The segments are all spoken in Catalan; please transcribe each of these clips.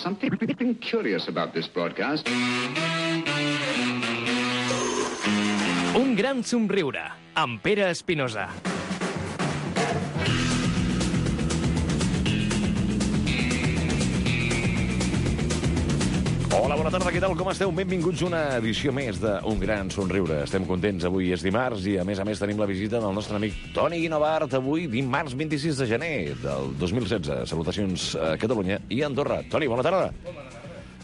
something curious about this broadcast. Un gran somriure, amb Pere Espinosa. Hola, bona tarda, què tal, com esteu? Benvinguts a una edició més d'Un Gran Somriure. Estem contents, avui és dimarts i a més tenim la visita del nostre amic Toni Guinovart, avui dimarts 26 de gener del 2016. Salutacions a Catalunya i a Andorra. Toni, bona tarda.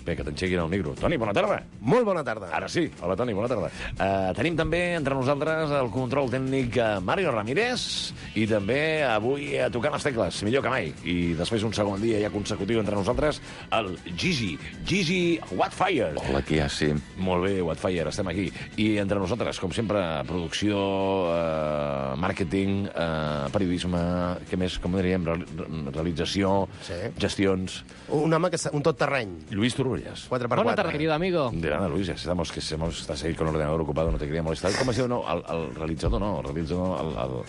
Bé, que t'enxeguin el micro. Toni, bona tarda. Molt bona tarda. Ara sí. Hola, Toni, bona tarda. Tenim també entre nosaltres el control tècnic Mario Ramírez i també avui tocant les tecles, millor que mai. I després un segon dia ja consecutiu entre nosaltres, el Gigi Whatfire. Hola, aquí ja sí. Molt bé, Whatfire, estem aquí. I entre nosaltres, com sempre, producció, màrqueting, periodisme, què més, com diríem, realització, Sí. gestions. Un home que un tot terreny. Lluís Turulles. 4x4. Buenas tardes, querido amigo. De nada, Luis, ya estamos, que estás ahí con el ordenador ocupado, no te quería molestar. Com es diu, no? El realitzador, no? El realitzador,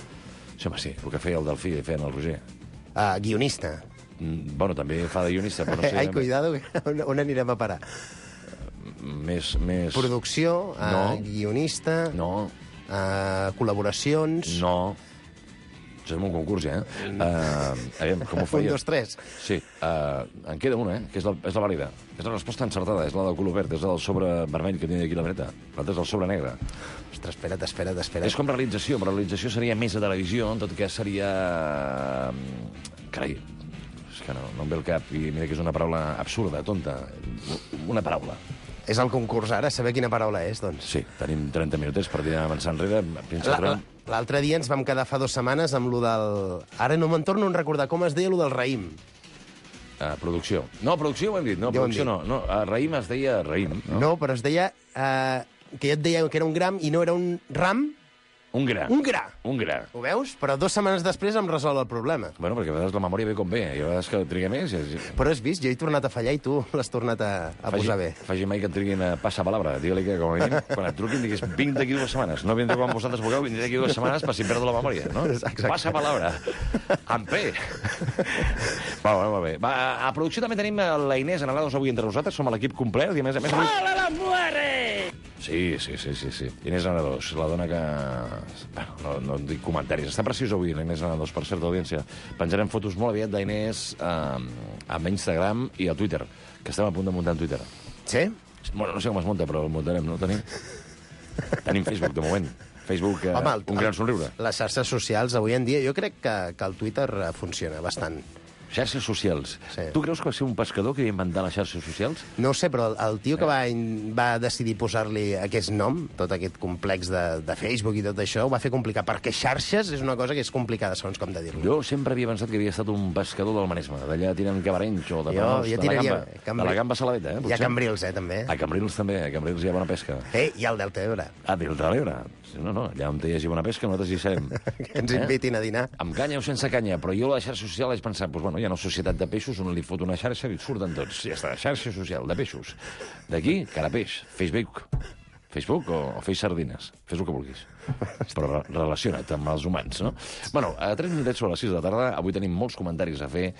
sí, home, sí, el que feia el Delfí, feia el Roger. Guionista. Bueno, també fa de guionista, però no sé... Ai, cuidado, on anirem a parar? Més... Producció, No. guionista, No, col·laboracions... no... Això és un concurs, ja, aviam, com ho feia? 1, 2, 3. Sí, en queda una, que és la vàlida. És la resposta encertada, és la del color verd, és la del sobre vermell que tinc aquí a la dreta. L'altre és el sobre negre. Ostres, espera't. És com realització, però realització seria més de televisió, en tot cas seria... Carai, és que no em ve el cap, i mira que és una paraula absurda, tonta. Una paraula. És el concurs ara, saber quina paraula és, doncs. Sí, tenim 30 minutets per tirar avançar enrere. L'altre dia ens vam quedar fa 2 setmanes amb lo del... Ara no me'n torno a recordar com es deia lo del raïm. Producció. No, producció ho hem dit. No, Ja ho hem producció dit. no. Raïm es deia raïm. No, però es deia... que jo et deia que era un gram i no era un ram, Un gra. un gra. Un gra. Ho veus? Però 2 setmanes després em resol el problema. Bueno, perquè a vegades la memòria ve com ve. I a vegades que triga més... Però has vist? Jo he tornat a fallar i tu l'has tornat a posar bé. Faci mai que et triguin a passar palabra. Digue-li que, com a mínim, quan et truquin, diguis, vinc d'aquí 2 setmanes. No vindré quan vosaltres vulgueu, vindré d'aquí 2 setmanes per si em perdo la memòria, no? Exacte. Passa palabra. Amb P. Molt bé. Va, a producció també tenim la Inés Analados avui entre nosaltres. Som l'equip complet i, a més... ¡Hola, la muere! Sí. Inés Analados, la dona que... Bueno, no dic comentaris. Està preciosa avui, la Inés Analados, per certa audiència. Penjarem fotos molt aviat d'Inés a Instagram i a Twitter, que estem a punt de muntar en Twitter. Sí? Bueno, no sé com es munta, però el muntarem, no? Tenim Facebook, de moment. Facebook, Home, un gran somriure. Les xarxes socials, avui en dia, jo crec que el Twitter funciona bastant. Xarxes socials. Sí. Tu creus que va ser un pescador que va inventar les xarxes socials? No ho sé, però el tio que va decidir posar-li aquest nom, tot aquest complex de Facebook i tot això, ho va fer complicat, perquè xarxes és una cosa que és complicada, segons com de dir-ho. Jo sempre havia pensat que havia estat un pescador del Maresme, d'allà tirant cabarenys o de Jo tiraria de la gamba saladeta, Hi ha Cambrils, també. A Cambrils també, a Cambrils hi ha bona pesca. I al Delta Ebre. A Delta de l'Ebre. No, allà on hi hagi bona pesca nosaltres hi serem. Que ens invitin a dinar. Amb canya o sense canya, però jo a la xarxa social vaig pensar, doncs bueno, hi ha una societat de peixos on li fot una xarxa i surten tots. Ja està, xarxa social de peixos. D'aquí, carapeix, Facebook o feix sardines. Fes el que vulguis. Però relaciona't amb els humans, no? Bueno, a 3 minutets sobre les 6 de la tarda, avui tenim molts comentaris a fer.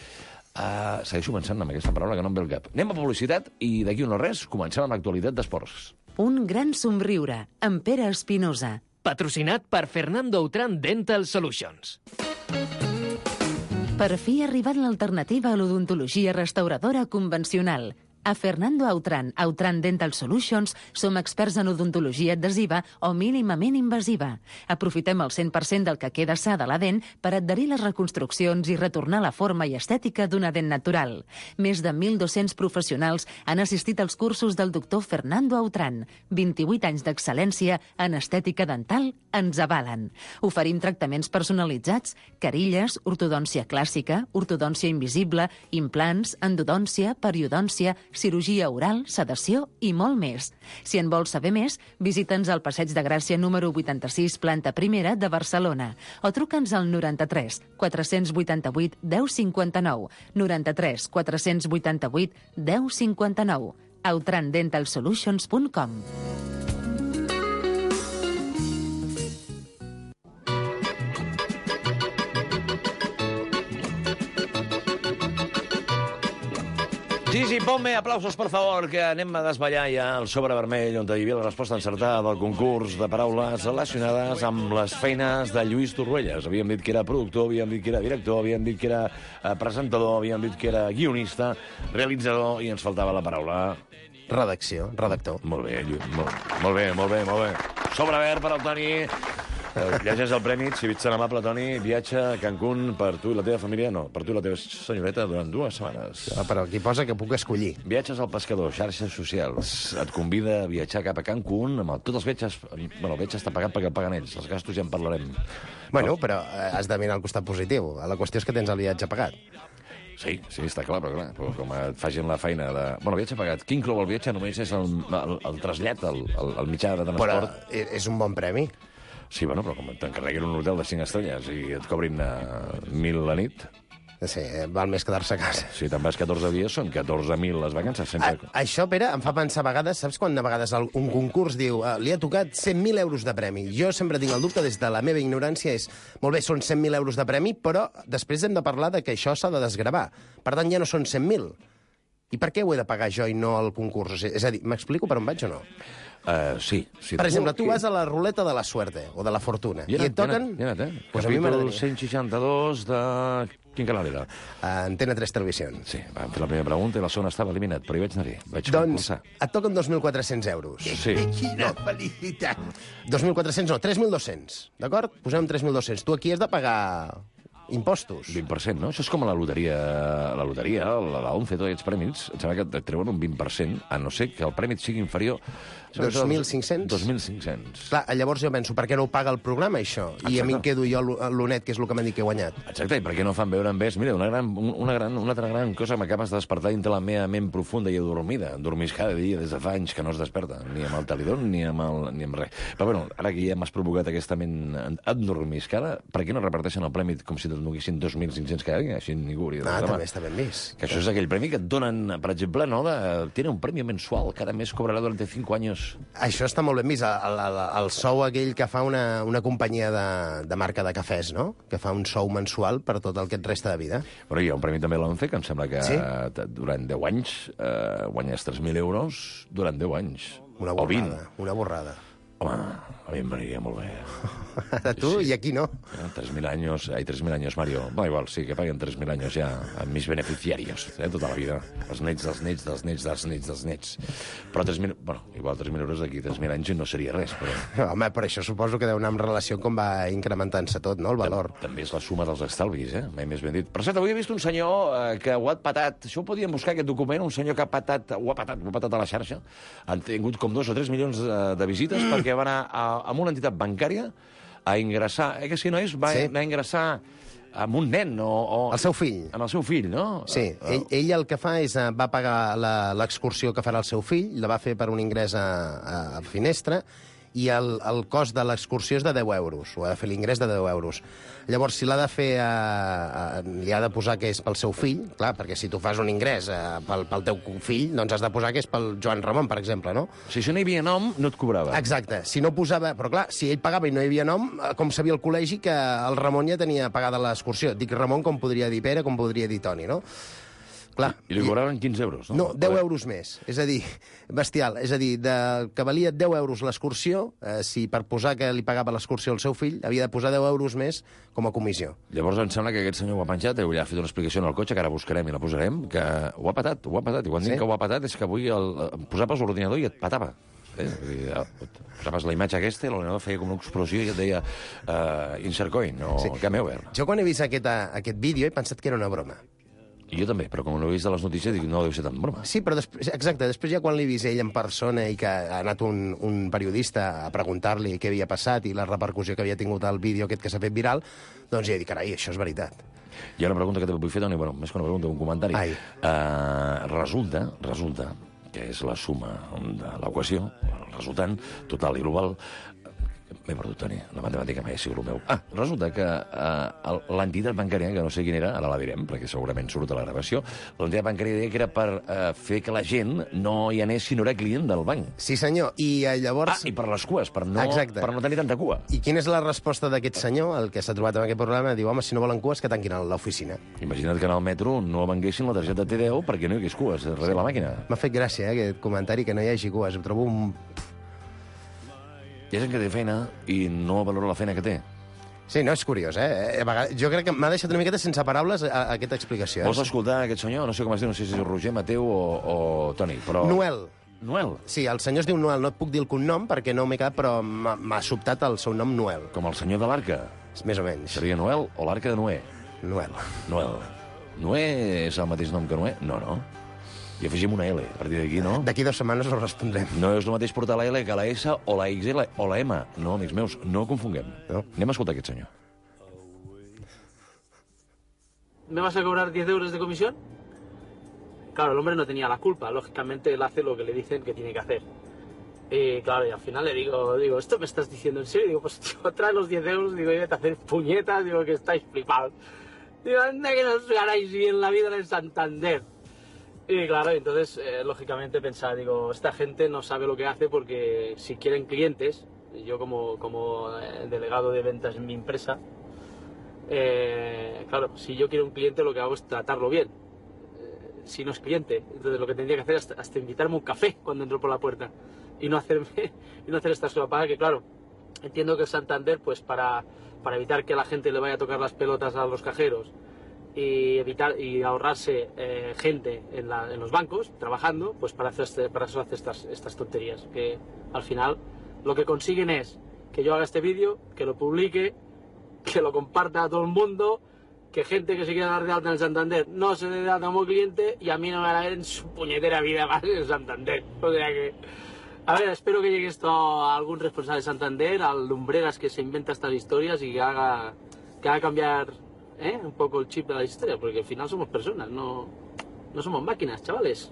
Segueixo pensant en aquesta paraula que no em ve el cap. Anem a publicitat i d'aquí no res comencem amb l'actualitat d'esports. Un gran somriure, amb Pere Espinosa. Patrocinat per Fernando Autran Dental Solutions. Per fi ha arribat l'alternativa a l'odontologia restauradora convencional. A Fernando Autran Dental Solutions som experts en odontologia adhesiva o mínimament invasiva. Aprofitem el 100% del que queda sa de la dent per adherir les reconstruccions i retornar la forma i estètica d'una dent natural. Més de 1.200 professionals han assistit als cursos del doctor Fernando Autran. 28 anys d'excel·lència en estètica dental ens avalen. Oferim tractaments personalitzats, carilles, ortodòncia clàssica, ortodòncia invisible, implants, endodòncia, periodòncia, cirurgia oral, sedació i molt més. Si en vols saber més, visita'ns al Passeig de Gràcia número 86, planta primera de Barcelona, o truca'ns al 93 488 1059, 93 488 1059, outrandentalsolutions.com. Gigi, ponme aplausos, por favor, que anem a desballar ja el sobre vermell, on hi havia la resposta encertada del concurs de paraules relacionades amb les feines de Lluís Torruelles. Havíem dit que era productor, havíem dit que era director, havíem dit que era presentador, havíem dit que era guionista, realitzador, i ens faltava la paraula... Redacció, redactor. Molt bé, molt bé. Sobre verd per al Toni. Llegeix el premi, si ets tan amable, Toni. Viatge a Cancún per tu i la teva família. No, per tu i la teva senyoreta durant 2 setmanes. Però aquí posa que puc escollir. Viatges al pescador, xarxes socials. Et convida a viatjar cap a Cancún. Tots els viatges... Bueno, el viatge està pagat perquè el paguen ells. Els gastos ja en parlarem. Bueno, però has de mirar el costat positiu. La qüestió és que tens el viatge pagat. Sí, està clar, però com et facin la feina de... Bueno, viatge pagat. Qui inclou el viatge només és el trasllat, el mitjà de transport. Però és un bon premi. Sí, bueno, però com t'encarreguin un hotel de 5 estrelles i et cobrin 1.000 la nit... Sí, val més quedar-se a casa. Si te'n vas 14 dies, són 14.000 les vacances. Sempre... Això, Pere, em fa pensar a vegades... Saps quan a vegades un concurs diu li ha tocat 100.000 euros de premi? Jo sempre tinc el dubte, des de la meva ignorància, és... Molt bé, són 100.000 euros de premi, però després hem de parlar de que això s'ha de desgravar. Per tant, ja no són 100.000. I per què ho he de pagar jo i no el concurs? És a dir, m'explico per on vaig o no? Sí. Per exemple, tu vas a la ruleta de la suerte o de la fortuna i et toquen... Ja anat, Pues capítol 162 de... Quin canal era? Antena 3 Televisió. Sí, vam fer la primera pregunta i la segona estava eliminat, però hi vaig anar-hi. Doncs et toquen 2.400 euros. Sí. Quina felicitat! 2.400 no, 3.200, d'acord? Posem 3.200. Tu aquí has de pagar... impostos. 20%, no? Això és com a la loteria, la 11, tots aquests prèmits, em sembla que et treuen un 20%, a no ser que el premi sigui inferior... 2.500? 2.500. Clar, llavors jo penso, per què no ho paga el programa, això? Exacte. I a mi em quedo jo l'honet, que és el que m'han dit que he guanyat. Exacte, i per què no fan veure en vez... Mira, una altra gran cosa, m'acabes de despertar dintre la meva ment profunda i adormida. Dormís cada dia des de fa anys que no es desperta, ni amb el talidón ni amb res. Però bueno, ara que ja m'has provocat aquesta ment adormiscada, per què no reparteixen el premi com si te'l donessin 2.500 cada dia? Així ningú hauria de reclamar. També està ben vist. Que això és aquell premi que et donen, per exemple, no, tiene un premi mensual, cada mes cobrarà durant 5 anys. Això està molt ben vist. El sou aquell que fa una companyia de marca de cafès, no? Que fa un sou mensual per tot el que et resta de vida. Però hi ha un premi també a l'ONCE, que em sembla que sí? Durant 10 anys guanyes 3.000 euros durant 10 anys. Una borrada. Home, a mi em veniria molt bé. A tu sí. I aquí no. 3.000 años, Mario. Bueno, igual, sí, que paguen 3.000 años ja a mis beneficiarios, tota la vida. Els nets. Però 3.000... Bueno, igual 3.000 euros d'aquí 3.000 anys no seria res, però... Home, per això suposo que deu anar en relació com va incrementant-se tot, no?, el valor. També és la suma dels estalvis, mai més ben dit. Per cert, avui he vist un senyor que ho ha patat. Això ho podíem buscar, aquest document, un senyor que ho ha patat a la xarxa. Han tingut com 2 o 3 milions de visites perquè va anar a una entitat bancària a ingressar... que si no és, va anar a ingressar amb un nen o... El seu fill. Amb el seu fill, no? Sí, ell el que fa és... Va pagar l'excursió que farà el seu fill, la va fer per un ingrés a Finestra, i el cost de l'excursió és de 10 euros. O ha de fer l'ingrés de 10 euros. Llavors, si l'ha de fer... li ha de posar que és pel seu fill, clar, perquè si tu fas un ingrés pel teu fill, doncs has de posar que és pel Joan Ramon, per exemple, no? Si això no hi havia nom, no et cobrava. Exacte. Si no posava... Però clar, si ell pagava i no hi havia nom, com sabia el col·legi que el Ramon ja tenia pagada l'excursió. Dic Ramon com podria dir Pere, com podria dir Toni, no? Clar, I li cobraven 15 euros, no? No, 10 euros més. És a dir, bestial. És a dir, que valia 10 euros l'excursió, si per posar que li pagava l'excursió al seu fill, havia de posar 10 euros més com a comissió. Llavors em sembla que aquest senyor ho ha penjat, ja ha fet una explicació en el cotxe, que ara buscarem i la posarem, que ho ha patat. I quan dic que ho ha patat és que avui posaves l'ordinador i et patava. Posaves la imatge aquesta i l'ordinador feia com una explosió i et deia insert coin o game over. Jo quan he vist aquest vídeo he pensat que era una broma. I jo també, però com no he vist de les notícies, dic, no deu ser tan broma. Sí, però després ja quan l'he vist ell en persona i que ha anat un periodista a preguntar-li què havia passat i la repercussió que havia tingut el vídeo aquest que s'ha fet viral, doncs ja he dit, carai, això és veritat. Hi ha una pregunta que te vull fer, Toni, bueno, més que una pregunta, un comentari. Resulta que és la suma de l'equació, el resultant total i global, M'he perdut, Toni. La matemàtica mai ha sigut el meu. Resulta que l'entitat bancària, que no sé quina era, ara la direm, perquè segurament surt a la gravació, l'entitat bancària deia que era per fer que la gent no hi anés si no era client del banc. Sí, senyor. I llavors... I per les cues, per no tenir tanta cua. I quina és la resposta d'aquest senyor, el que s'ha trobat en aquest programa? Diu, home, si no volen cues, que tanquin a l'oficina. Imagina't que en el metro no venguessin la targeta T10 perquè no hi hagués cues darrere la màquina. M'ha fet gràcia, aquest comentari, que no hi hagi cues. Ho trobo un... Hi ha gent que té feina i no valora la feina que té. Sí, no, és curiós, eh? Jo crec que m'ha deixat una miqueta sense paraules aquesta explicació. Vols escoltar aquest senyor? No sé com es diu, no sé si és Roger, Mateu o Toni, però... Noel. Sí, el senyor es diu Noel. No et puc dir el cognom perquè no m'he quedat, però m'ha sobtat el seu nom Noel. Com el senyor de l'arca. Més o menys. Seria Noel o l'arca de Noé? Noel. Noé és el mateix nom que Noé? No. I afegim una L, a partir d'aquí, no? D'aquí 2 setmanes ho respondrem. No és el mateix portar la L que la S o la XL o la M. No, amics meus, no confonguem. No. Anem a escoltar aquest senyor. ¿Me vas a cobrar 10 euros de comisión? Claro, el hombre no tenía la culpa. Lógicamente, él hace lo que le dicen que tiene que hacer. Y claro, y al final le digo, ¿esto me estás diciendo en serio? Digo, pues tío, trae los 10 euros, digo, y vete a hacer puñetas, digo, que estáis flipados. Digo, anda que no os ganáis bien la vida en el Santander. Y claro, entonces, lógicamente pensar, digo, esta gente no sabe lo que hace porque si quieren clientes, yo como delegado de ventas en mi empresa, claro, si yo quiero un cliente lo que hago es tratarlo bien. Si no es cliente, entonces lo que tendría que hacer es hasta invitarme un café cuando entro por la puerta y no hacer esta solapada que, claro, entiendo que el Santander, pues para evitar que la gente le vaya a tocar las pelotas a los cajeros y ahorrarse gente en los bancos trabajando, pues para eso hace estas tonterías, que al final lo que consiguen es que yo haga este vídeo, que lo publique, que lo comparta a todo el mundo, que gente que se quiera dar de alta en el Santander no se dé de alta como cliente y a mí no me van a ver en su puñetera vida más en el Santander. O sea que... A ver, espero que llegue esto a algún responsable de Santander, al lumbreras que se inventa estas historias y que haga cambiar un poco el chip de la historia, porque al final somos personas, no somos máquinas, chavales.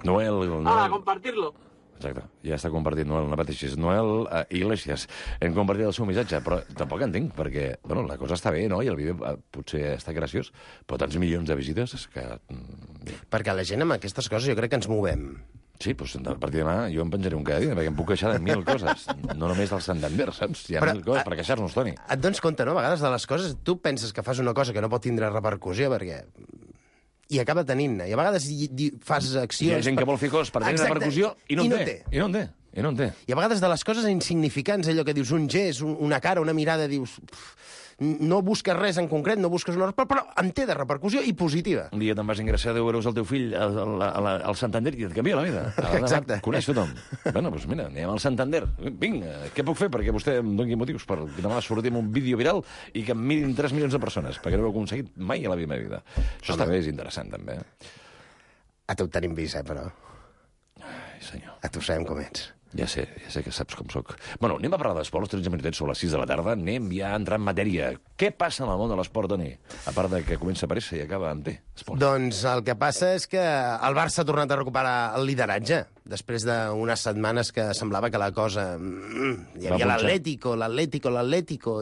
Noel. A compartirlo. Exacte, ja està compartit Noel, no pateixis. Noel Iglesias, hem compartit el seu missatge, però tampoc entenc, perquè, bueno, la cosa està bé, no?, i el vídeo potser està graciós, però tants milions de visites és que... Perquè la gent amb aquestes coses jo crec que ens movem. Sí, doncs a partir de demà jo em penjaré un cada dia, perquè em puc queixar de 1000 coses, no només del Santander, saps? Hi ha 1000 coses per queixar-nos, Toni. Et dones compte, no?, a vegades de les coses, tu penses que fas una cosa que no pot tindre repercussió, perquè... i acaba tenint-ne. I a vegades fas accions... Hi ha gent que vol fer coses per tenir repercussió i no en té. I no en té. I a vegades de les coses insignificants, allò que dius un gest, una cara, una mirada, dius... No busques res en concret, no busques una... però en té de repercussió i positiva. Un dia te'n vas ingressar 10 euros al teu fill al Santander i et canvia la vida. Exacte. Coneix tothom. Bueno, doncs mira, anem al Santander. Vinga, què puc fer perquè vostè em doni motius per demà sortir amb un vídeo viral i que em mirin 3 milions de persones, perquè no ho he aconseguit mai a la meva vida. Això també és interessant, també. A tu et tenim vist, però... Ai, senyor. A tu sabem com ets. Ja sé que saps com sóc. Bueno, anem a parlar d'esport, 13 minutets sobre les 6 de la tarda. Anem ja a entrar en matèria. Què passa en el món de l'esport, Toni? A part de que comença a aparèixer i acaba amb T. Esport. Doncs el que passa és que el Barça ha tornat a recuperar el lideratge. Després d'unes setmanes que semblava que la cosa... Hi havia l'Atlético,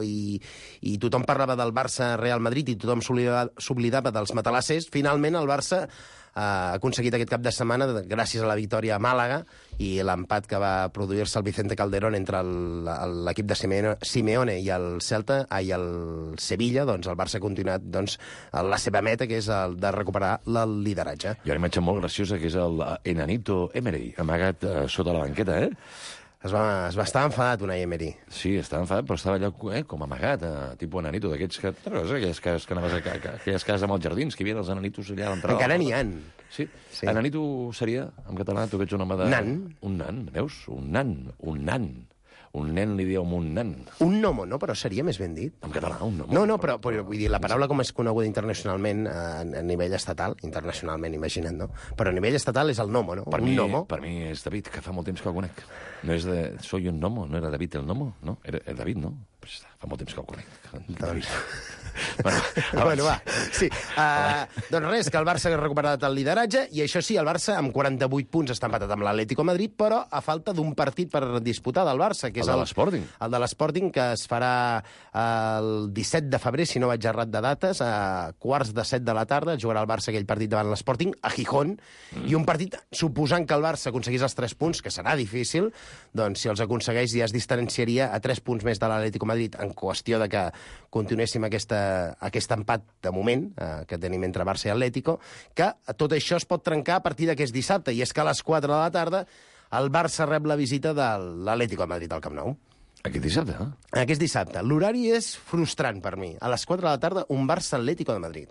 i tothom parlava del Barça-Real Madrid i tothom s'oblidava dels matalassers. Finalment, el Barça ha aconseguit aquest cap de setmana, gràcies a la victòria a Màlaga i l'empat que va produir-se al Vicente Calderón entre l'equip de Simeone i el Celta, i el Sevilla, doncs el Barça ha continuat la seva meta, que és el de recuperar el lideratge. Hi ha una imatge molt graciosa, que és el Enanito Emery, amagat sota la banqueta, Es va estar enfadat, Unai Emery. Sí, estava enfadat, però estava allà com amagat, tipus Enanito, d'aquests que... Aquelles cases amb els jardins, que hi havia els Enanitos allà a l'entrada. Encara n'hi ha. Sí. Enanito seria, en català, tu veig un home de... Nan. Un nan, veus? Un nan. Un nen li diu un nan. Un gnomo, no? Però seria més ben dit. En català, un gnomo. No, però vull dir, la paraula com és coneguda internacionalment a nivell estatal, internacionalment, imagina't, no? Però a nivell estatal és el gnomo, no? Per mi és David, que fa molt temps que el conec. No és de... Soy un gnomo, no era David el gnomo? No, era David, no? Pues fa molt temps que el conec. Doncs... Bueno, va. Sí. Doncs res, que el Barça ha recuperat el lideratge i això sí, el Barça amb 48 punts està empatat amb l'Atlético Madrid, però a falta d'un partit per disputar del Barça, que és El de l'Sporting. El de l'Sporting, que es farà el 17 de febrer, si no vaig errat de dates, a quarts de 7 de la tarda, jugarà el Barça aquell partit davant l'Sporting, a Gijón, i un partit, suposant que el Barça aconseguís els 3 punts, que serà difícil, doncs si els aconsegueix ja es distanciaria a 3 punts més de l'Atlético Madrid en qüestió de que continuéssim aquest empat de moment que tenim entre Barça i Atlético, que tot això es pot trencar a partir d'aquest dissabte, i és que a les 4 de la tarda el Barça rep la visita de l'Atlético de Madrid al Camp Nou. Aquest dissabte, eh? Aquest dissabte. L'horari és frustrant per mi. A les 4 de la tarda, un Barça-Atlético de Madrid.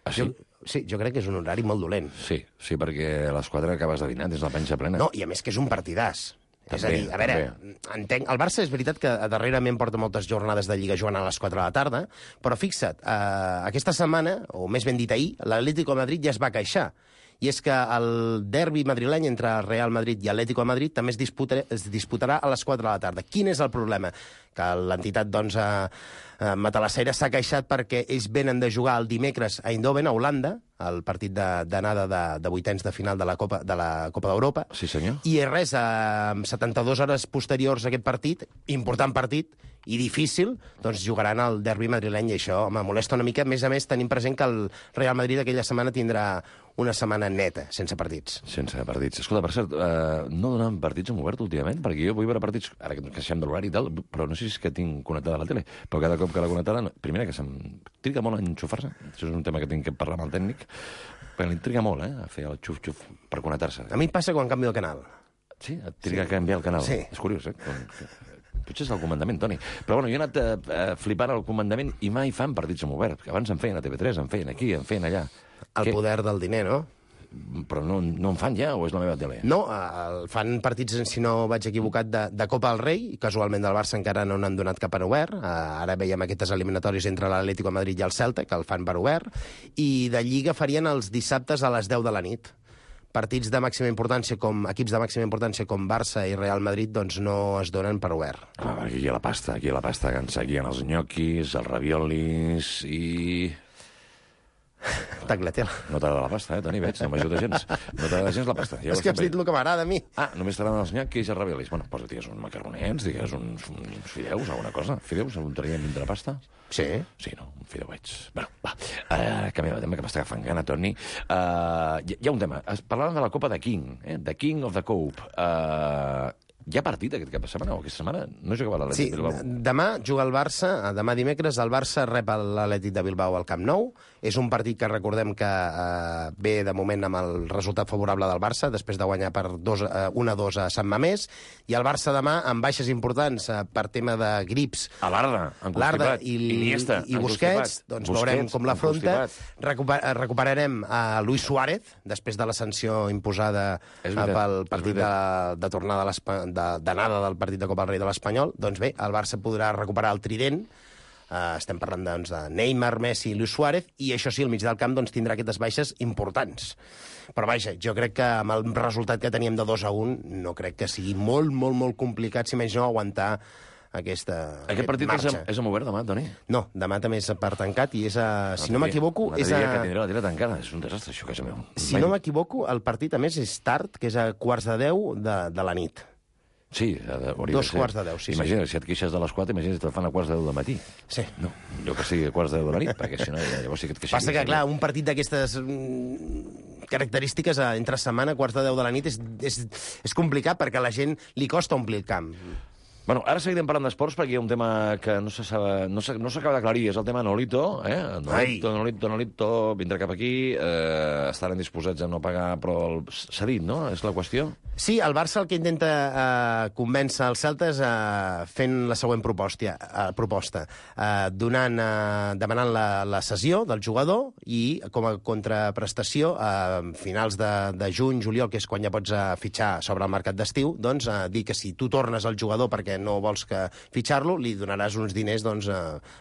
Ah, sí? Sí, jo crec que és un horari molt dolent. Sí, perquè a les 4 acabes de dinar, tens la panxa plena. No, i a més que és un partidàs. També, és a dir, a veure, entenc, el Barça és veritat que darrerament porta moltes jornades de Lliga jugant a les 4 de la tarda, però fixa't, aquesta setmana, o més ben dit ahir, l'Atlético de Madrid ja es va queixar. I és que el derbi madrileny entre el Real Madrid i Atlético de Madrid també es disputarà a les 4 de la tarda. Quin és el problema? Que l'entitat, doncs, matalassaire s'ha queixat perquè ells venen de jugar el dimecres a Eindhoven, a Holanda, el partit d'anada de vuitens de final de la Copa d'Europa. Sí, senyor. I res, 72 hores posteriors a aquest partit, important partit, i difícil, doncs jugaran el derbi madrileny, i això me molesta una mica. A més, tenim present que el Real Madrid aquella setmana tindrà una setmana neta, sense partits. Sense partits. Escolta, per cert, no donen partits en obert últimament? Perquè jo vull veure partits, ara que ens queixem de l'horari i tal, però no sé si és que tinc connectada la tele, però cada cop que la connectada, primera, que se'm triga molt a enxufar-se, això és un tema que tinc que parlar amb el tècnic, perquè li triga molt, a fer el xuf-xuf per connectar-se. A mi em passa quan canvio el canal. Sí? Et triga a canviar el canal? Sí. És curiós, Potser és el comandament, Toni. Però bueno, jo he anat flipant al comandament i mai fan partits en obert, que abans en feien a TV3, en feien aquí, en feien allà. El poder del diner, no? Però no en fan ja, o és la meva tele? No, fan partits, si no vaig equivocat, de Copa del Rei, i casualment del Barça encara no n'han donat cap en obert. Ara veiem aquestes eliminatòries entre l'Atlético de Madrid i el Celta, que el fan per obert, i de Lliga farien els dissabtes a les 10 de la nit. Partits de màxima importància, equips de màxima importància com Barça i Real Madrid, doncs no es donen per obert. Aquí hi ha la pasta, que ens seguien els nyoquis, els raviolis i... Tagliatella. No t'agrada la pasta, Toni, veig, no m'ajuda gens. No t'agrada gens la pasta. Ja és que has dit el que m'agrada a mi. Només t'agraden els nyoquis i els raviolis. Bueno, doncs digues uns macarronets, digues uns fideus, alguna cosa. Fideus, un traiem dintre pasta? Sí. Sí, no? Un fideuets. Bueno, va. Canviem de tema, que m'està agafant gana, Toni. Hi ha un tema. Parlàvem de la Copa de King, The King of the Cope. Hi ha partit aquest cap de setmana o aquesta setmana? No jugava l'Atlètic de Bilbao. Demà juga el Barça, demà dimecres, el Barça rep l'Atlètic de Bilbao al Camp Nou. És un partit que recordem que ve de moment amb el resultat favorable del Barça, després de guanyar per 1-2 a Sant Mamés, i el Barça demà amb baixes importants per tema de grips. A l'Arda i Busquets, doncs veurem com l'afronta. Recuperarem a Luis Suárez, després de la sanció imposada pel partit de tornada d'anada del partit de Copa del Rei de l'Espanyol. Doncs bé, el Barça podrà recuperar el trident. Estem parlant doncs, de Neymar, Messi i Luis Suárez, i això sí, al mig del camp doncs, tindrà aquestes baixes importants. Però vaja, jo crec que amb el resultat que teníem de 2-1 no crec que sigui molt, molt, molt complicat, si més no, aguantar aquest partit marxa. És amb obert demà, Toni? No, demà també és per tancat i és si no m'equivoco... Que tindrà la tira tancada, és un desastre, això, casa meu. Si no m'equivoco, el partit, a més, és tard, que és a quarts de 10 de la nit. Sí, dos quarts de 10, sí. Imagina't, si et queixes de les 4, imagina't que te'l fan a quarts de 10 del matí. Sí. No, jo que sigui a quarts de 10 de la nit, perquè si no, llavors sí que et queixes. Passa que, clar, un partit d'aquestes característiques entre setmana, quarts de 10 de la nit, és complicat perquè a la gent li costa omplir el camp. Bueno, ara seguirem parlant d'esports perquè hi ha un tema que no s'acaba d'aclarir, és el tema Nolito, Nolito, vindrà cap aquí, estaran disposats a no pagar, però s'ha dit, no? És la qüestió? Sí, el Barça el que intenta convèncer els celtes fent la següent proposta, demanant la cessió del jugador i com a contraprestació a finals de juny, juliol, que és quan ja pots fitxar sobre el mercat d'estiu, doncs dir que si tu tornes al jugador perquè perquè no vols que fitxar-lo, li donaràs uns diners doncs,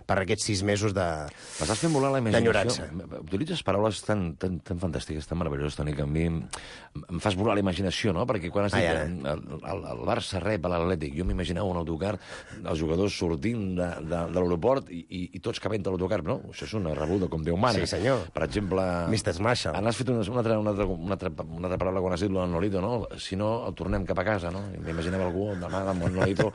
per aquests 6 mesos M'estàs fent volar la imaginació. d'enyorança. Utilitzes paraules tan fantàstiques, tan meravelloses, Toni, que a mi em fas volar la imaginació, no? Perquè quan has dit el Barça rep a l'Atlètic, jo m'imaginava un autocar, els jugadors sortint de l'aeroport i tots cabent a l'autocar. No, això és una rebuda com Déu mana. Sí, senyor. Per exemple... Mr. Marshall. Has fet una altra paraula quan has dit lo del Nolito, no? Si no, el tornem cap a casa, no? M'imaginava algú demà amb el Nolito...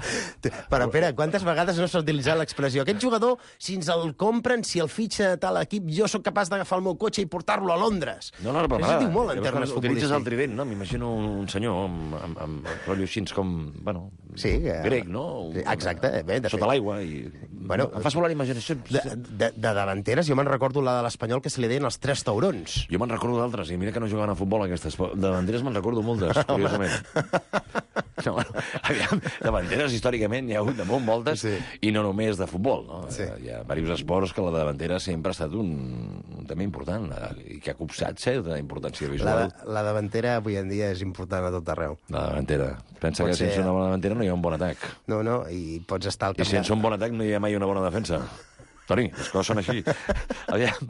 Però, Pere, quantes vegades no s'ha utilitzat l'expressió? Aquest jugador, si ens el compren, si el fitxa tal equip, jo sóc capaç d'agafar el meu cotxe i portar-lo a Londres. No, però això diu molt en termes utilitzes el futbolístics. trident, no? M'imagino un senyor amb rotllo així com, bueno, Sí, grec, no? Exacte. Bé, de sota fet. l'aigua i... Bueno, em fas volar la imaginació. De davanteres, jo me'n recordo la de l'Espanyol que se li deien els 3 taurons. Jo me'n recordo d'altres, i mira que no jugaven a futbol aquestes. Davanteres me'n recordo moltes, curiosament. No, bueno, aviam, davanteres històricament hi ha hagut de moltes, Sí. i no només de futbol. No? Sí. Hi ha diversos esports que la davantera sempre ha estat un tema important i que ha copsat certa importància visual. La davantera avui en dia és important a tot arreu. La davantera. Pensa Pot que sense ser- una bona davantera no hi ha un bon atac. No, i pots estar al I sense un bon atac no hi ha mai una bona defensa. Toni, les coses són així. Aviam,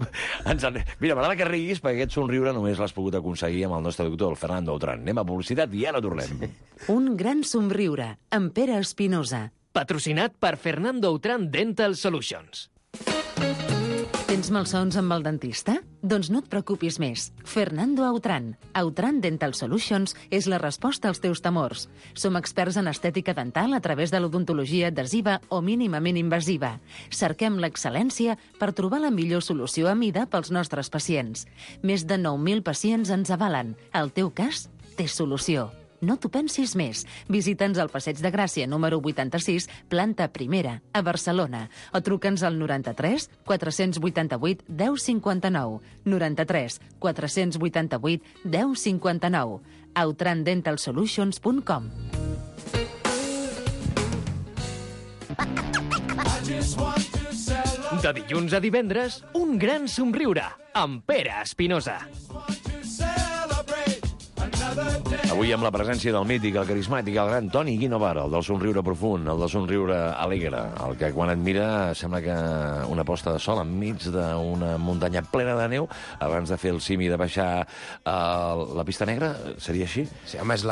mira, m'agrada que riguis perquè aquest somriure només l'has pogut aconseguir amb el nostre doctor, el Fernando Autran. Anem a publicitat i ara tornem. Un gran somriure, amb Pere Espinosa. Patrocinat per Fernando Autran Dental Solutions. Tens malsons amb el dentista? Doncs no et preocupis més. Fernando Autran. Autran Dental Solutions és la resposta als teus temors. Som experts en estètica dental a través de l'odontologia adhesiva o mínimament invasiva. Cerquem l'excel·lència per trobar la millor solució a mida pels nostres pacients. Més de 9.000 pacients ens avalen. El teu cas té solució. No t'ho pensis més. Visita'ns al Passeig de Gràcia, número 86, planta primera, a Barcelona. O truca'ns al 93 488 1059. 93 488 1059. outrandentalsolutions.com. De dilluns a divendres, un gran somriure amb Pere Espinosa. Avui amb la presència del mític, el carismàtic, el gran Toni Guinovara, el del somriure profund, el del somriure alegre, el que quan et mira sembla que una posta de sol enmig d'una muntanya plena de neu, abans de fer el simi de baixar la pista negra, seria així? Sí, home, és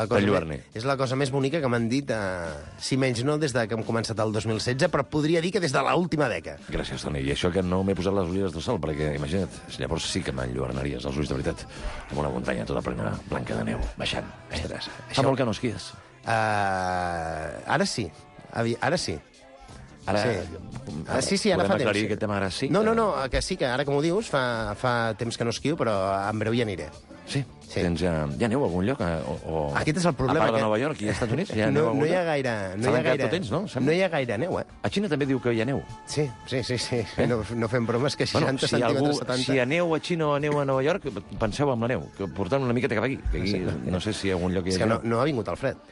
la cosa més bonica que m'han dit, si menys no des de que hem començat el 2016, però podria dir que des de l'última dècada. Gràcies, Toni. I això que no m'he posat les ulleres de sol, perquè, imagina't, llavors sí que m'enlluernaries els ulls de veritat, amb una muntanya tota plena blanca de neu, baixant. Ostres, fa molt que no esquies. Ara sí. Ara sí. Ara, Sí, ara podem fa temps. aclarir aquest tema ara sí? No, que sí, que ara, com ho dius, fa temps que no esquio, però en breu hi aniré. Sí? Sí. Tens, hi ha neu a algun lloc? Aquest és el problema. A part de que Nova York i als Estats Units? Hi ha neu a No algun hi ha lloc? gaire... Se l'han quedat tot ells, no? Sembla. No hi ha gaire neu, A Xina també diu que hi ha neu. Sí. No fem bromes, que 60 centímetres, 70... Si hi ha neu a Xina o neu a Nova York, penseu en la neu, que portant una miqueta cap aquí, que aquí no sé si hi ha algun lloc que És hi que ha neu. no ha vingut el fred.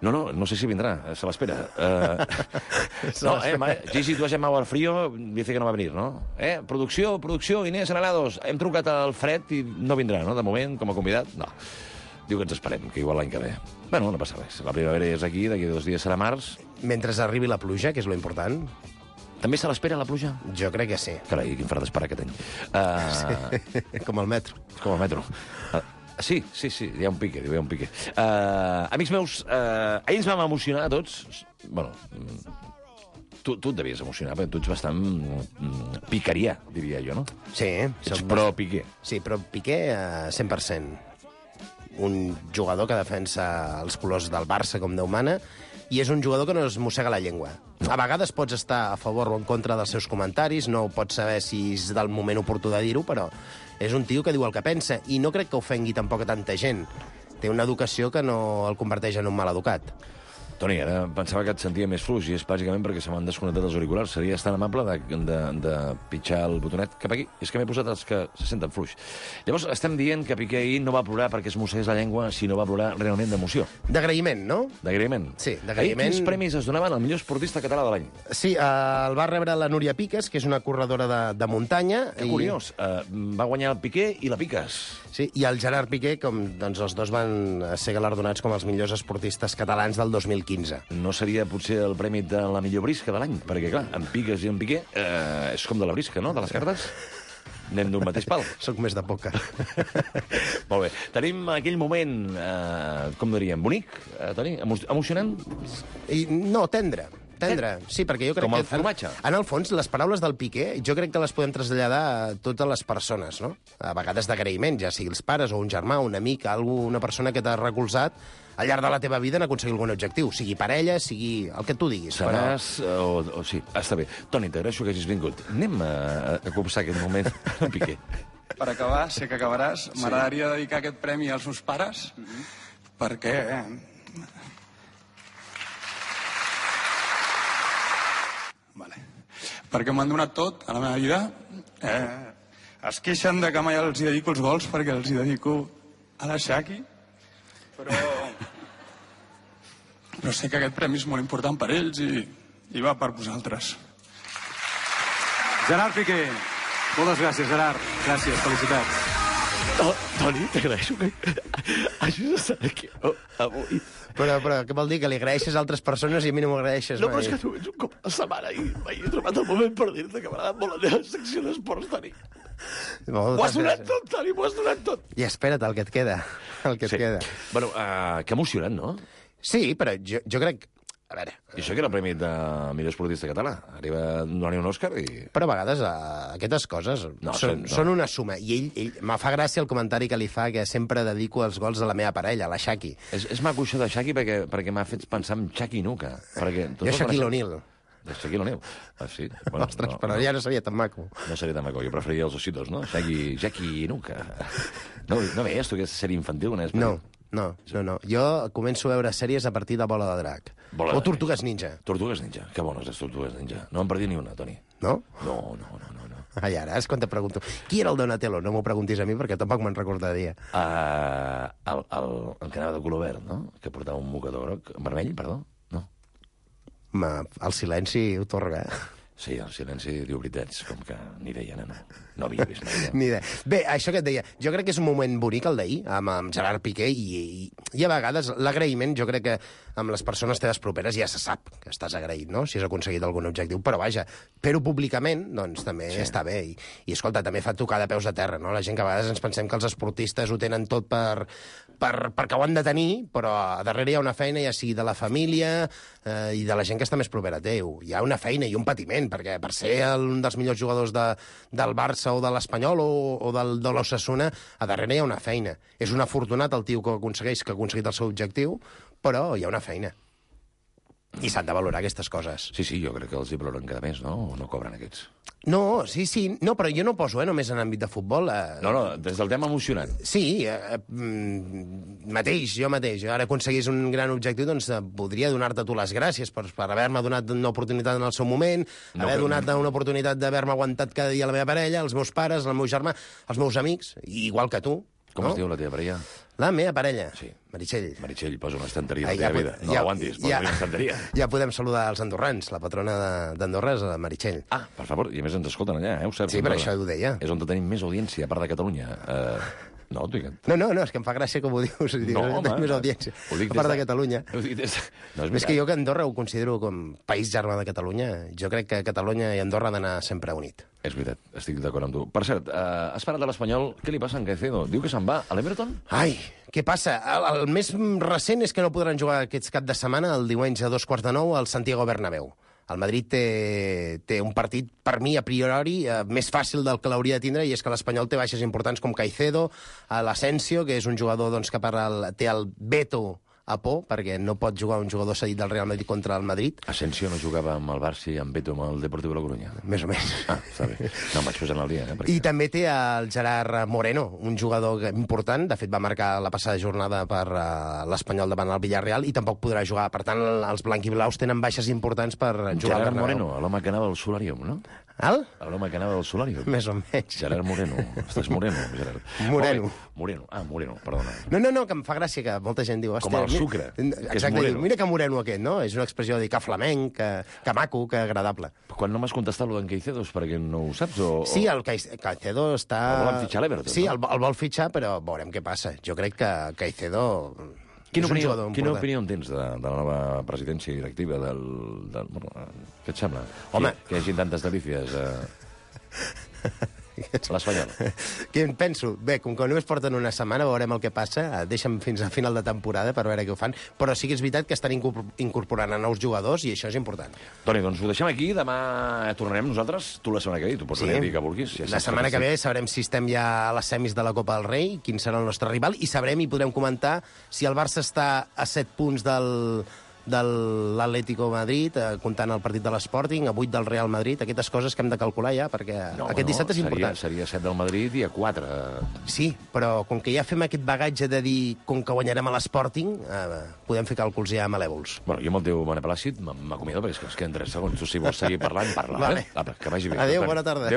No sé si vendrá, se la espera. Gigi, tú has llamado al frío, dice que no va a venir, ¿no? Producció, Inés Analados, hem trucat al fred i no vindrà, no? De moment, com a convidat, no. Diu que ens esperem, que igual l'any que ve. Bueno, no passa res. La primavera és aquí, d'aquí 2 dies serà març. Mentre arribi la pluja, que és lo important, També se l'espera, la pluja? jo crec que sí. Carai, quin fred d'esperar aquest any. Com el metro. Com el metro. Sí, hi ha un pique, hi ha un pique. Amics meus, ahir ens vam emocionar a tots. Bueno, tu et devies emocionar, perquè tu ets bastant piqueria, diria jo, no? Sí. Ets pro Piqué. Sí, però Piqué 100%. Un jugador que defensa els colors del Barça com Déu mana, i és un jugador que no es mossega la llengua. A vegades pots estar a favor o en contra dels seus comentaris, no pots saber si és del moment oportú de dir-ho, però és un tio que diu el que pensa, i no crec que ofengui tampoc a tanta gent. Té una educació que no el converteix en un mal educat. Toni, ara pensava que et sentia més fluix, i és bàsicament perquè se m'han desconnectat els auriculars. Series tan amable de pitjar el botonet cap aquí? És que m'he posat els que se senten fluix. Llavors, estem dient que Piqué ahir no va plorar perquè es mossegués la llengua, sinó va plorar realment d'emoció. D'agraïment, no? D'agraïment. Sí, d'agraïment. Ahir quins premis es donaven al millor esportista català de l'any? Sí, el va rebre la Núria Piques, que és una corredora de muntanya. Que curiós. Va guanyar el Piqué i la Piques. Sí, i el Gerard Piqué, com doncs, els dos van ser galardonats com els millors esportistes catalans del 2015. 15. No seria potser el premi de la millor brisca de l'any? Perquè, clar, en Piques i en Piqué és com de la brisca, no?, de les cartes. Anem d'un mateix pal. Soc més de pòquer. Molt bé. Tenim aquell moment, com diríem, bonic, Toni? Emocionant? No, tendre. Sí, perquè jo crec com el que... formatge. En el fons, les paraules del Piqué, jo crec que les podem traslladar a totes les persones, no? A vegades d'agraïment, ja sigui els pares o un germà, un amic, una persona que t'ha recolzat al llarg de la teva vida en aconseguir algun objectiu. Sigui parella, sigui el que tu diguis. Seràs... O sí, està bé. Toni, t'agraeixo que hagis vingut. Anem a copsar aquest moment al Piqué. Per acabar, sé que acabaràs, m'agradaria dedicar aquest premi als meus pares, perquè... perquè m'han donat tot a la meva vida. Es queixen de que mai els hi dedico els gols perquè els hi dedico a la Shaki, però sé que aquest premi és molt important per ells i va per vosaltres. Gerard Piqué. Moltes gràcies, Gerard. Gràcies, felicitats. Toni, t'agraeixo que hagis estat aquí avui. Però què vol dir? Que li agraeixes a altres persones i a mi no m'agraeixes No, mai? però és que tu ets un cop a la setmana i mai he trobat el moment per dir-te que m'agrada molt la teva secció d'esports, Toni. M'ho has donat tot, Toni, m'ho has donat tot. I espera't, el que et queda. El que et queda. Bueno, que emocionant, no? Sí, però jo crec... A veure... I això que era el premi de millor esportista català. Arriba a donar-hi un Òscar i... Però a vegades aquestes coses són una suma. I ell me fa gràcia el comentari que li fa que sempre dedico els gols a la meva parella, a la Shaki. És maco això de Shaki perquè m'ha fet pensar en Shaki Nuka. Jo Shaquille O'Neal. De Shaquille O'Neal. Ah, sí? Bueno, ostres, però ja no seria tan maco. No seria tan maco. Jo preferiria els ositos, no? Shaki Nuka. No veies tu aquesta sèrie infantil? No. Jo començo a veure sèries a partir de Bola de Drac. O Tortugues Ninja. Tortugues Ninja. Que bones, les Tortugues Ninja. No em perdi ni una, Toni. No? No. Ai, ara és quan te pregunto. Qui era el Donatello? No m'ho preguntis a mi perquè tampoc me'n recordaria. El que anava de color verd, no? Que portava un mocador groc. Vermell, perdó? No. El silenci ho torga, Sí, el silenci diu veritats, com que ni idea, no havia vist mai. Ni idea. Bé, això que et deia, jo crec que és un moment bonic el d'ahir, amb Gerard Piqué, i a vegades l'agraïment, jo crec que amb les persones teves properes ja se sap que estàs agraït, no?, si has aconseguit algun objectiu, però vaja, fer-ho públicament, doncs també està bé, i escolta, també fa tocar de peus a terra, no?, la gent que a vegades ens pensem que els esportistes ho tenen tot perquè ho han de tenir, però a darrere hi ha una feina, ja sigui de la família i de la gent que està més propera a teu. Hi ha una feina i un patiment, perquè per ser un dels millors jugadors del Barça o de l'Espanyol o de l'Osasuna, a darrere hi ha una feina. És un afortunat el tio que ha aconseguit el seu objectiu, però hi ha una feina. I s'han de valorar aquestes coses. Sí, jo crec que els hi valoren cada mes, no? O no cobren aquests? No, sí. No, però jo no poso només en àmbit de futbol. No, des del tema emocionant. Sí, jo mateix. Ara aconseguís un gran objectiu, doncs podria donar-te tu les gràcies per haver-me donat una oportunitat en el seu moment, haver donat una oportunitat d'haver-me aguantat cada dia la meva parella, els meus pares, el meu germà, els meus amics, igual que tu. Com es diu la teva parella? La meva parella? Sí. Meritxell. Meritxell, posa una estanteria a la teva vida. No l'aguantis, posa una estanteria. Ja podem saludar els andorrans. La patrona d'Andorra és la Meritxell. Ah, per favor, i a més ens escolten allà, ho saps? Sí, per això ho deia. És on tenim més audiència, a part de Catalunya. No, és que em fa gràcia com ho dius. No, home. Més audiència. A part de Catalunya. És que jo que Andorra ho considero com país germà de Catalunya. Jo crec que Catalunya i Andorra han d'anar sempre unit. És veritat, estic d'acord amb tu. Per cert, has parlat de l'Espanyol, què li passa a Caicedo? Diu que se'n va a l'Everton? Ai, què passa? El més recent és que no podran jugar aquest cap de setmana, el diumenge a 8:45, al Santiago Bernabéu. El Madrid té un partit, per mi, a priori, més fàcil del que l'hauria de tindre, i és que l'Espanyol té baixes importants com Caicedo, l'Asensio, que és un jugador que té el veto a por, perquè no pot jugar un jugador cedit del Real Madrid contra el Madrid. Asensio no jugava amb el Barça i amb Beto amb el Deportiu de la Corunya? Més o menys. Ah, està bé. No, em vaig posant al dia. Perquè... I també té el Gerard Moreno, un jugador important, de fet va marcar la passada jornada per l'Espanyol davant el Villarreal, i tampoc podrà jugar. Per tant, els blanquiblaus tenen baixes importants per jugar. Gerard Moreno, l'home que anava al Solarium, no? L'home que anava al Solarium. Més o menys. Gerard Moreno. Estàs Moreno, Gerard. Moreno. Moreno, perdona. No, que em fa gràcia que molta gent diu... Com el sucre. Exacte, mira que moreno aquest, no? És una expressió de dir que flamenc, que maco, que agradable. Quan no m'has contestat lo d'en Caicedo és perquè no ho saps? Sí, el Caicedo està... El volen fitxar a l'Everton, sí, no? el vol fitxar, però veurem què passa. Jo crec que Caicedo Quina opinió en tens de la nova presidència directiva què et sembla? Home. Que hi hagi tantes delícies l'Espanyol. Què en penso? Bé, com que només porten una setmana, veurem el que passa. Deixa'm fins a final de temporada per veure què ho fan. Però sí que és veritat que estan incorporant a nous jugadors i això és important. Toni, doncs ho deixem aquí. Demà tornarem nosaltres. Tu la setmana que ve. Tu pots venir a dir que vulguis. La setmana que ve sabrem si estem ja a les semis de la Copa del Rei, quin serà el nostre rival, i sabrem i podrem comentar si el Barça està a 7 punts de l'Atlético Madrid, comptant el partit de l'Sporting, a 8 del Real Madrid, aquestes coses que hem de calcular ja, perquè aquest dissabte és important. Seria 7 del Madrid i a 4. Sí, però com que ja fem aquest bagatge de dir com que guanyarem a l'Sporting, podem fer càlculs ja malèvols. Bueno, jo amb el teu Mane Plàcid m'acomiado perquè es queden 3 segons. Tu, si vols seguir parlant, parla. Vale. Que vagi bé. Adéu, bona tarda.